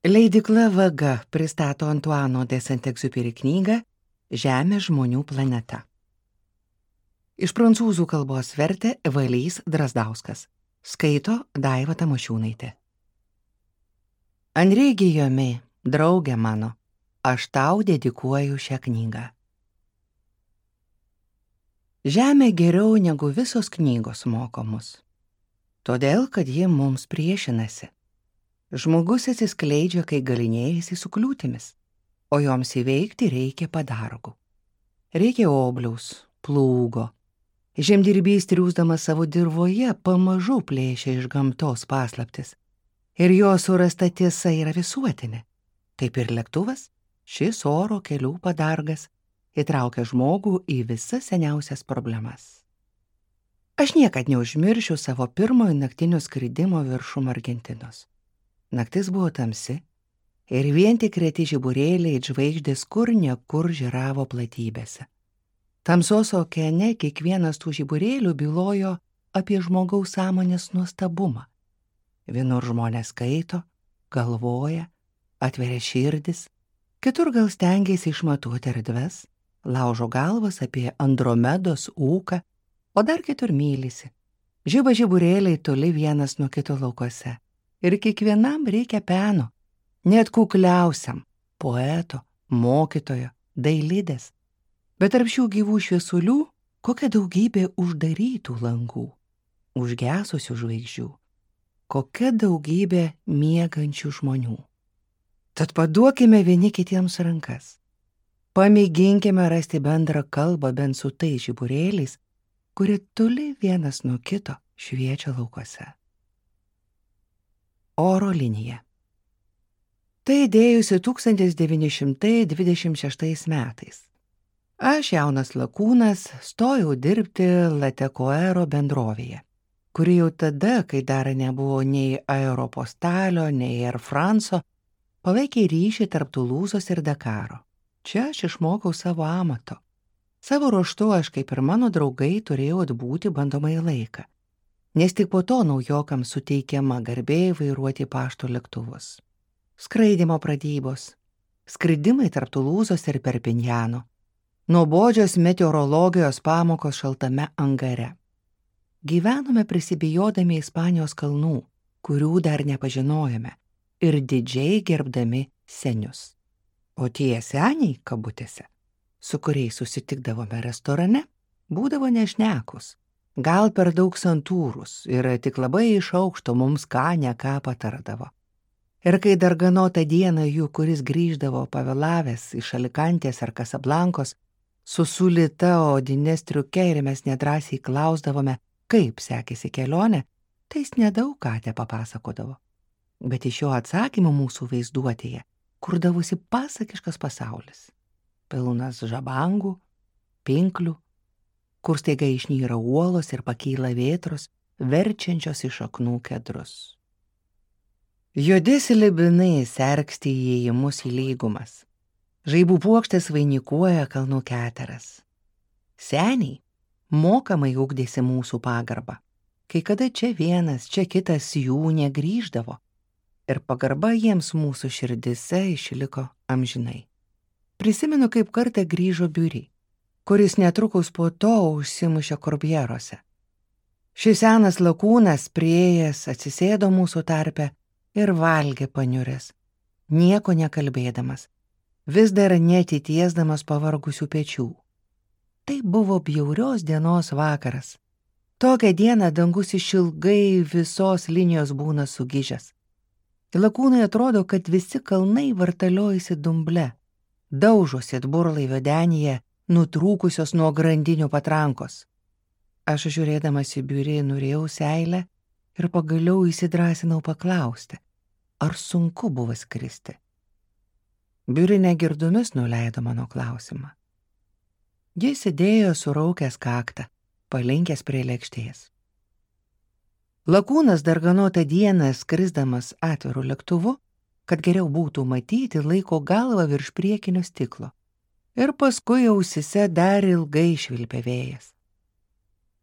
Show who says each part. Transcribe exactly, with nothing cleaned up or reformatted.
Speaker 1: Leidykla Vaga pristato Antuano de Saint-Exupéry knygą Žemė žmonių planeta. Iš prancūzų kalbos vertė Valys Drazdauskas. Skaito Daiva Tamošiūnaitė. Anri Gijomė, draugė mano, aš tau dedikuoju šią knygą. Žemė geriau negu visos knygos moko mus, todėl, kad ji mums priešinasi. Žmogus atsiskleidžia, kai galinėjasi su kliūtimis, o joms įveikti reikia padargų. Reikia obliaus, plūgo. Žemdirbys triūsdamas savo dirvoje pamažu plėšia iš gamtos paslaptis. Ir jo surasta tiesa yra visuotinė. Kaip ir lėktuvas, šis oro kelių padargas įtraukia žmogų į visas seniausias problemas. Aš niekad neužmiršiu savo pirmojo naktinio skridimo viršum Argentinos. Naktis buvo tamsi ir vien tik reti žiburėliai it žvaigždės kur nekur žiravo platybėse. Tamsos okeane kiekvienas tų žiburėlių bylojo apie žmogaus sąmonės nuostabumą. Vienur žmonės skaito, galvoja, atveria širdis, kitur gal stengiasi išmatuoti erdves, laužo galvas apie Andromedos ūką, o dar kitur mylisi. Žiba žiburėliai toli vienas nuo kito laukuose. Ir kiekvienam reikia peno, net kukliausiam, poeto, mokytojo, dailidės. Bet tarp šių gyvų šviesulių kokia daugybė uždarytų langų, užgesusių žvaigždžių, kokia daugybė miegančių žmonių. Tad paduokime vieni kitiems rankas. Pamėginkime rasti bendrą kalbą bent su tais žiburėliais, kurie toli vienas nuo kito šviečia laukuose. Oro linija. Tai idėjusi tūkstantis devyni šimtai dvidešimt šeštais metais. Aš, jaunas lakūnas, stojau dirbti Latecoero bendrovėje, kuri jau tada, kai dar nebuvo nei Aeropostalio, nei Air France'o, palaikė ryšį tarp Tulūzos ir Dakaro. Čia aš išmokau savo amato. Savo ruožtu aš, kaip ir mano draugai, turėjau atbūti bandomąjį laiką, nes tik po to naujokams suteikiama garbė vairuoti pašto lėktuvus. Skraidymo pradybos, skridimai tarp Tulūzos ir Perpinjano, nuobodžios meteorologijos pamokos šaltame angare. Gyvenome prisibijodami Ispanijos kalnų, kurių dar nepažinojome, ir didžiai gerbdami senius. O tie seniai, kabutėse, su kuriais susitikdavome restorane, būdavo nešnekus. Gal per daug santūrus ir tik labai iš aukšto mums ką ne ką patardavo. Ir kai darganotą dieną jų, kuris grįždavo pavėlavęs iš Alikantės ar Kasablankos, su sulita odine striuke ir mes nedrąsiai klausdavome, kaip sekėsi kelionė, tai jis nedaug ką te papasakodavo. Bet iš jo atsakymų mūsų vaizduotėje kurdavosi pasakiškas pasaulis. Pilnas žabangų, pinklių, kur staiga išnyra uolos ir pakyla vėtros, verčiančios iš šaknų kedrus. Juodi slibinai serksti įėjimus į lygumas. Žaibų puokštės vainikuoja kalnų keteras. Seniai mokamai ugdėsi mūsų pagarbą. Kai kada čia vienas, čia kitas jų negrįždavo. Ir pagarba jiems mūsų širdise išliko amžinai. Prisimenu, kaip kartą grįžo Biuri, kuris netrukus po to užsimušė Korbieruose. Šis senas lakūnas priėjęs atsisėdo mūsų tarpe ir valgė paniuręs, nieko nekalbėdamas, vis dar neatitiesdamas pavargusių pečių. Tai buvo bjaurios dienos vakaras. Tokią dieną dangus išilgai visos linijos būna sugižęs. Lakūnai atrodo, kad visi kalnai vartaliojasi dumble, daužosi atburlaivio denyje, nutrūkusios nuo grandinių patrankos. Aš žiūrėdamas į Biuri norėjau seilę ir pagaliau įsidrąsinau paklausti, ar sunku buvo skristi. Biuri negirdomis nuleido mano klausimą. Jis sėdėjo suraukęs kaktą, palinkęs prie lėkštės. Lakūnas darganotą dieną skrisdamas atviru lėktuvu, kad geriau būtų matyti, laiko galvą virš priekinio stiklo. Ir paskui ausyse dar ilgai švilpė vėjas.